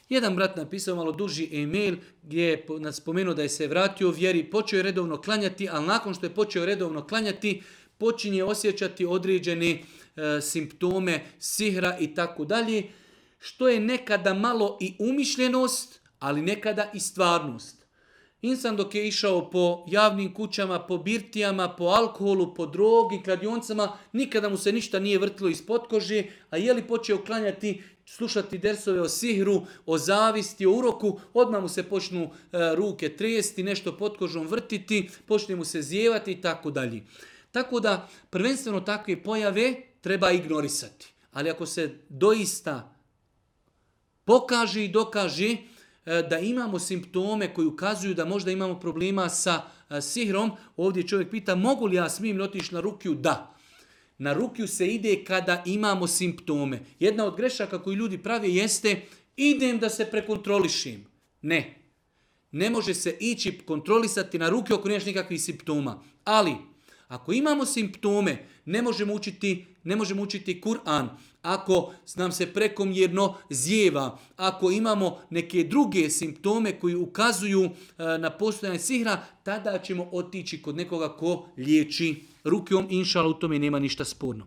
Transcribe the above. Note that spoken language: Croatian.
Jedan brat napisao malo duži e-mail gdje je spomenuo da je se vratio vjeri, počeo je redovno klanjati, ali nakon što je počeo redovno klanjati, počinje osjećati određene simptome sihra i tako dalje, što je nekada malo i umišljenost, ali nekada i stvarnost. Insan dok je išao po javnim kućama, po birtijama, po alkoholu, po drogi, kladioncama, nikada mu se ništa nije vrtilo ispod kože, a je li počeo klanjati, slušati dersove o sihru, o zavisti, o uroku, odmah mu se počnu ruke tresti, nešto pod kožom vrtiti, počne mu se zijevati i tako dalje. Tako da prvenstveno takve pojave treba ignorisati. Ali ako se doista pokaže i dokaže da imamo simptome koji ukazuju da možda imamo problema sa sihrom, ovdje čovjek pita mogu li ja smijem otići na rukiju? Da. Na rukiju se ide kada imamo simptome. Jedna od grešaka koju ljudi prave jeste idem da se prekontrolišim. Ne. Ne može se ići kontrolisati na rukiju ako nemaš nikakvih simptoma. Ali ako imamo simptome, ne možemo učiti Kur'an. Ako nam se prekomjerno zijeva, ako imamo neke druge simptome koji ukazuju na postojanje sihra, tada ćemo otići kod nekoga ko liječi rukijom. Inšala, u tome nema ništa sporno.